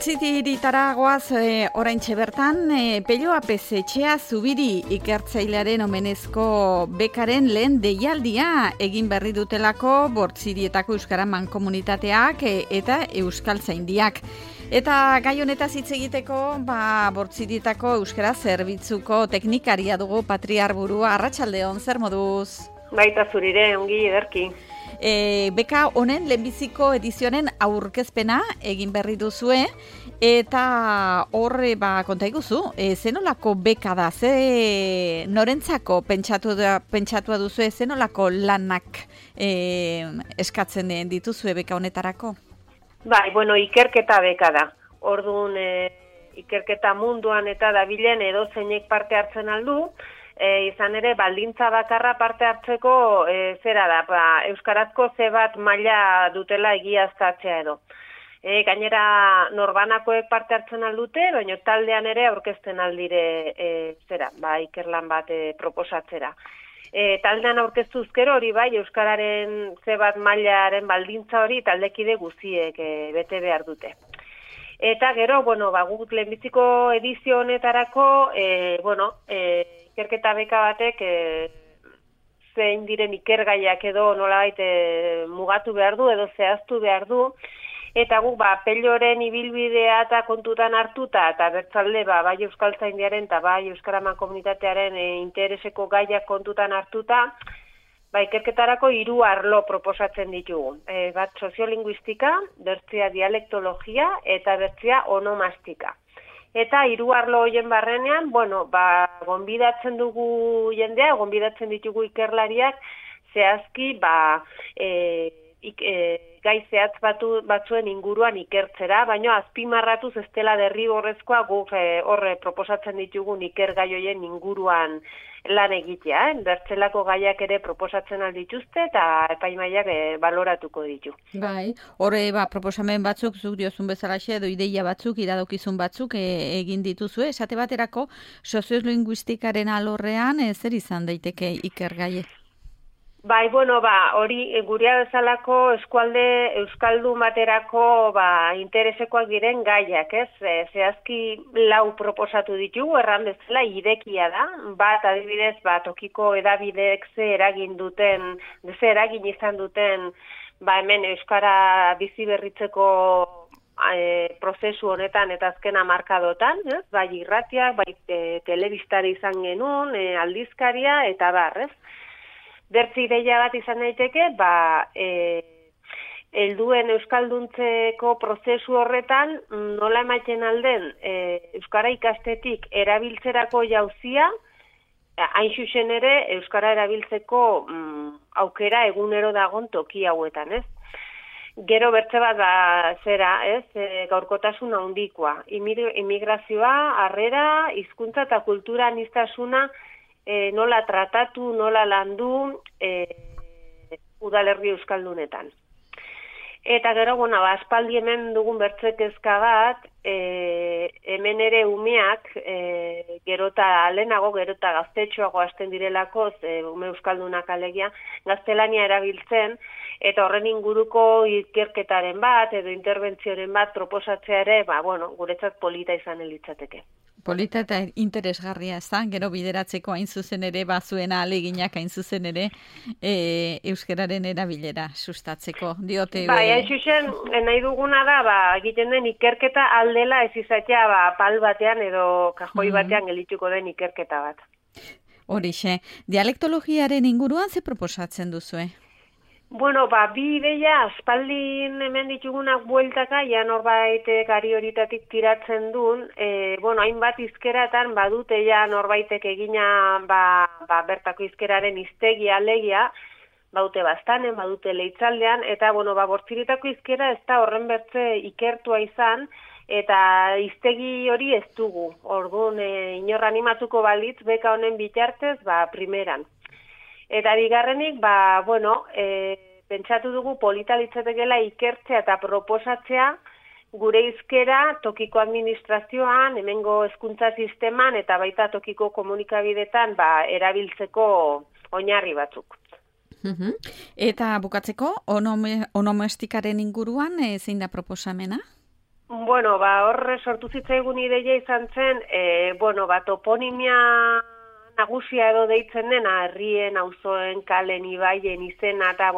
Bortzitiritara goaz oraintxe bertan, Pello Apez Etxea Zubiri ikertzailearen omenezko bekaren lehen deialdia egin berri dutelako Bortzirietako Euskara Mankomunitateak eta Euskaltzaindiak. Eta gai honetaz hitz egiteko, Bortzirietako Euskara Zerbitzuko teknikaria dugu Patri Arburua. Arratsaldeon, zer moduz? Baita zurire, ongi ederki. Beka honen lehenbiziko edizionen aurkezpena egin berri duzue, eta horre konta iguzu, zenolako beka da, norentzako pentsatua duzue, zenolako lanak eskatzen dituzue beka honetarako? Bai, ikerketa beka da. Orduan, ikerketa munduan eta dabilen edozeinek parte hartzen aldu, izan ere, baldintza bakarra parte hartzeko zera da, euskarazko zebat maila dutela egiaztatzea edo. Gainera, norbanakoek parte hartzen aldute, baina taldean ere aurkezten aldire ikerlan bat proposatzera. Taldean aurkeztuzkero hori bai, euskararen zebat mailaren baldintza hori taldekide guztiek bete behar dute. Eta gero, guk lehenbiziko edizio honetarako, ikerketa beka batek zein diren ikergaiak edo nolabait mugatu behar du edo zehaztu behar du, eta guk Pelloren ibilbidea eta kontutan hartuta eta bertzalde bai Euskaltzaindiaren eta bai Euskara Mankomunitatearen intereseko gaiak kontutan hartuta, ikerketarako 3 arlo proposatzen ditugu. Bat soziolinguistika, bertzia dialektologia eta bertzia onomastika. Eta 3 arlo horien barrenean, gonbidatzen dugu jendea, gonbidatzen ditugu ikerlariak, zehazki, gai zehatz batzuen inguruan ikertzera, baina azpimarratuz ez dela derrigorrezkoa guk horre proposatzen ditugun ikergai horien inguruan lan egitea. Bertzelako gaiak ere proposatzen aldituzte eta epaimaiak baloratuko ditu. Bai, horre proposamen batzuk, zuk diozun bezalaxe edo ideia batzuk, iradokizun batzuk egin dituzue. Esate baterako, soziolinguistikaren alorrean zer izan daiteke ikergaie? Bai, hori gurea bezalako eskualde euskaldun baterako interesekoak diren gaiak, ez? Zehazki 4 proposatu ditugu, erran bezala irekia da. Bat, adibidez, tokiko edabideek ze eragin izan duten, hemen euskara bizi berritzeko prozesu honetan eta azken hamarkadotan, bai irratiak, bai telebistari izan genuen, aldizkaria eta ez? Bertzi ideia bat izan daiteke, helduen euskalduntzeko prozesu horretan nola ematen alden euskara ikastetik erabiltzerako jauzia, hain zuzen ere euskara erabiltzeko aukera egunero dagon toki hauetan, ez? Gero bertze bat gaurkotasun handikoa, immigrazioa, harrera, hizkuntza eta kultura aniztasuna nola tratatu, nola landu udalerri euskaldunetan. Eta gero, aspaldi hemen dugun bertzekezka bat, hemen ere umeak, gerota gaztetxoago hasten direlako, ume euskaldunak alegia, gaztelania erabiltzen, eta horren inguruko ikerketaren bat, edo interbentzioren bat proposatzea ere, guretzat polita izan litzateke. Polita eta interesgarria, ez da? Gero bideratzeko hain zuzen ere, zuena aleginak hain zuzen ere, euskararen erabilera sustatzeko. Diote... hain zuzen, nahi duguna da, egiten den ikerketa aldela ez izatea, pal batean edo kajoi batean gelituko den ikerketa bat. Horixe, dialektologiaren inguruan ze proposatzen duzue? Bi ideia, aspaldin hemen ditugunak bueltaka, norbait gari horitatik tiratzen duen, hainbat izkeratan badute norbaitek egina bertako izkeraren hiztegi alegia, badute Baztanen, badute Leitzaldean, eta Bortziritako izkera ez da horren bertze ikertua izan, eta hiztegi hori ez dugu. Orduan, inor animatuko balitz, beka honen bitartez, primeran. Eta bigarrenik, pentsatu dugu polita litzatekeela ikertzea eta proposatzea gure hizkera tokiko administrazioan, hemengo hezkuntza sisteman eta baita tokiko komunikabidetan erabiltzeko oinarri batzuk. Eta bukatzeko, onomestikaren inguruan zein da proposamena? Bueno, horre sortu zitzaigun ideia izan zen, toponimia nagusia edo deitzen dena, herrien, auzoen, kalen, ibaien, izena, eta,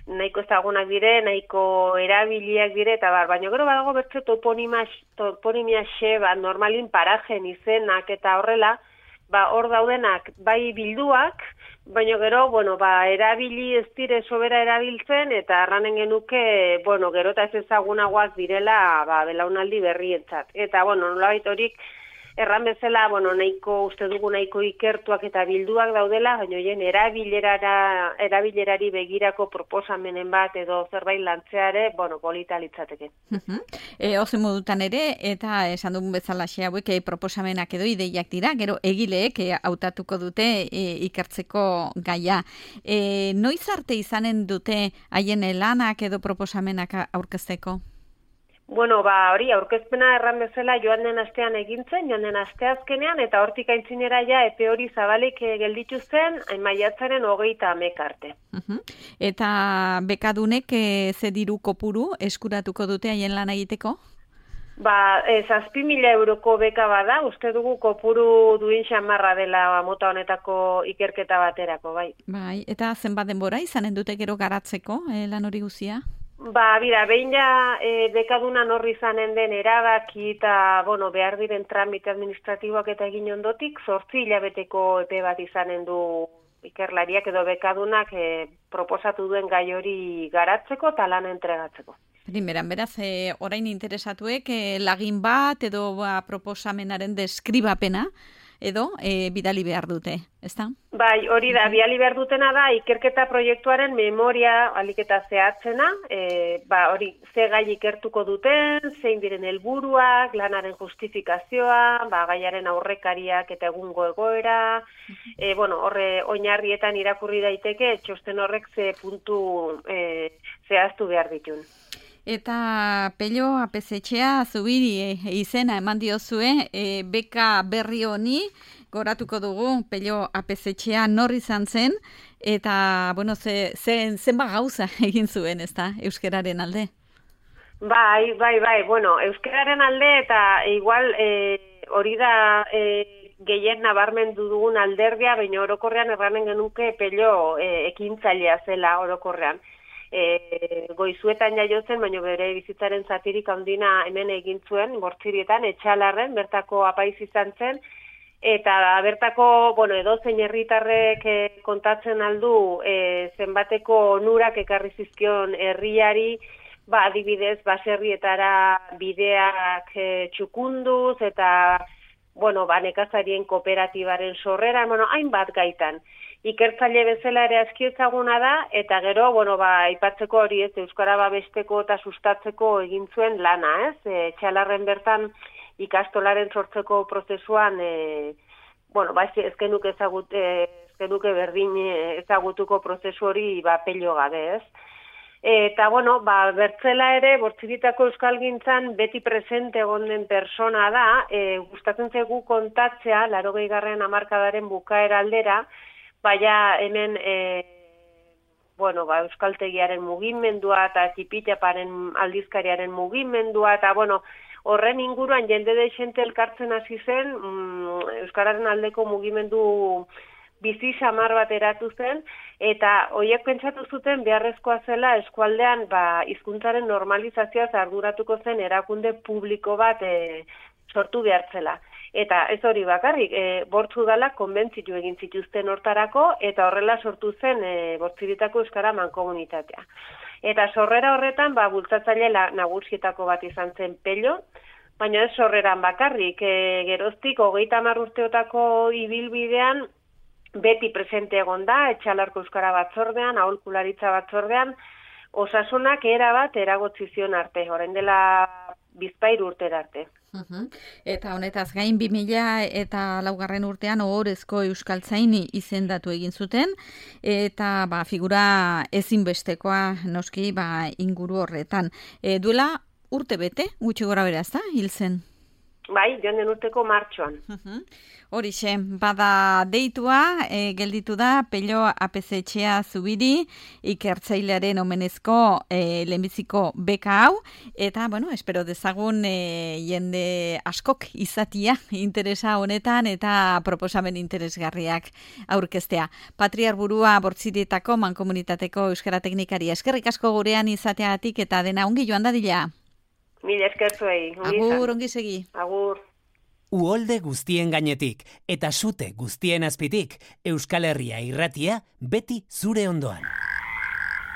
nahiko ezagunak dire, nahiko erabiliak dire, eta baina gero badago bertze toponimia normalin parajen izenak eta horrela, hor daudenak bai bilduak, baina gero, erabili ez dire sobera erabiltzen, eta arranen genuke, gero eta ez ezagunagoak direla, belaunaldi berrientzat. Eta, nolabait horik, erran bezala, uste dugu nahiko ikertuak eta bilduak daudela, baina hoien erabilerari begirako proposamenen bat edo zerbait lantzeare, polita litzateke. Ozen modutan ere, eta esan dugun bezala hauek proposamenak edo ideiak dira, gero egileek hautatuko dute ikertzeko gaia. Noiz arte izanen dute haien lanak edo proposamenak aurkezteko? Hori, aurkezpena erran bezala joan den astean egintzen, joan den asteazkenean, eta hortik aintzinera epe hori zabalik gelditu zen, maiatzaren 30 arte. Eta bekadunek ze diru kopuru eskuratuko dute haien lan egiteko? 7.000 euroko beka bada, uste dugu kopuru duin xamarra dela mota honetako ikerketa baterako, bai. Bai, eta zenbat denbora izanen dute gero garatzeko lan hori guzia? Behin bekaduna norri izanen den erabaki eta, behar diren tramite administratiboak eta egin ondotik, 8 hilabeteko epe bat izanen du ikerlariak edo bekadunak proposatu duen gai hori garatzeko eta lan entregatzeko. Beraz, orain interesatuek lagin bat edo proposamenaren deskribapena edo bidali behar dute, ezta? Bai, hori da, bidali behar dutena da, ikerketa proiektuaren memoria aliketa zehatzena, hori, ze gai ikertuko duten, zein diren helburuak, lanaren justifikazioa, gaiaren aurrekariak eta egungo egoera, horre oinarrietan irakurri daiteke, txosten horrek ze puntu zehaztu behar ditun. Eta Pello Apesetxea Zubiri izena eman diozue, beka berri honi goratuko dugu. Pello Apesetxea nor izan zen, eta zenba gauza egin zuen, ezta, euskararen alde? Bai, euskararen alde eta igual hori da gehien nabarmendu dugun alderdia, baina orokorrean erranen genuke Pello ekintzailea zela orokorrean. Goizuetan jaiotzen, baina bere bizitzaren zatirik handina hemen egin zuen, Bortzirietan, Etxalarren, bertako apaiz izan zen, eta bertako, edozein herritarrek kontatzen aldu zenbateko onurak ekarri zizkion herriari, adibidez, baserrietara bideak txukunduz, eta, nekazarien kooperatibaren sorrera, hainbat gaitan. Ikertzaile bezala ere aski ezaguna da, eta gero, aipatzeko hori ez, euskara babesteko eta sustatzeko egin zuen lana, ez? Txalarren bertan ikastolaren sortzeko prozesuan, ez genuke berdin ezagutuko prozesu hori Pello gabe, ez? Eta, bertzela ere, Bortziritako euskalgintzan beti presente egon den persona da, gustatzen zaigu kontatzea, 80. hamarkadaren bukaera aldera, baina hemen euskaltegiaren mugimendua eta Txipitaparen aldizkariaren mugimendua eta horren inguruan jende deixente elkartzen hasi zen, euskararen aldeko mugimendu bizi samar bat eratu zen, eta horiek pentsatu zuten beharrezkoa zela eskualdean hizkuntzaren normalizazioaz arduratuko zen erakunde publiko bat sortu behartzela. Eta ez hori bakarrik, Bortzu Udalak konbentzitu egin zituzten hortarako, eta horrela sortu zen Bortziritako euskara mankomunitatea. Eta sorrera horretan, bultzatzaile nagusietako bat izan zen Pello, baina ez sorreran bakarrik, geroztik 30 urteotako ibilbidean, beti presente egon da, Etxalarko euskara batzordean, aholkularitza batzordean, osasunak erabat eragotzi zion arte, orain dela 2 urtera arte. Eta honetaz gain 2004 urtean ohorezko euskaltzaini izendatu egin zuten, eta figura ezinbestekoa noski inguru horretan. Duela urte bete, gutxi gora bera, ezta, hil zen? Bai, joan den urteko martxoan. Horixe, bada deitua, gelditu da, Pello APZ-etxea Zubiri, ikertzailearen omenezko lehenbiziko beka hau, eta, bueno, espero dezagun jende askok izatia interesa honetan eta proposamen interesgarriak aurkeztea. Patriar burua Bortzirietako mankomunitateko euskara teknikari eskerrik asko gurean izateagatik eta dena ongi joan dadila. Mila esker zuei. Agur, ongi segi. Agur. Uholde guztien gainetik eta sute guztien azpitik, Euskal Herria irratia beti zure ondoan.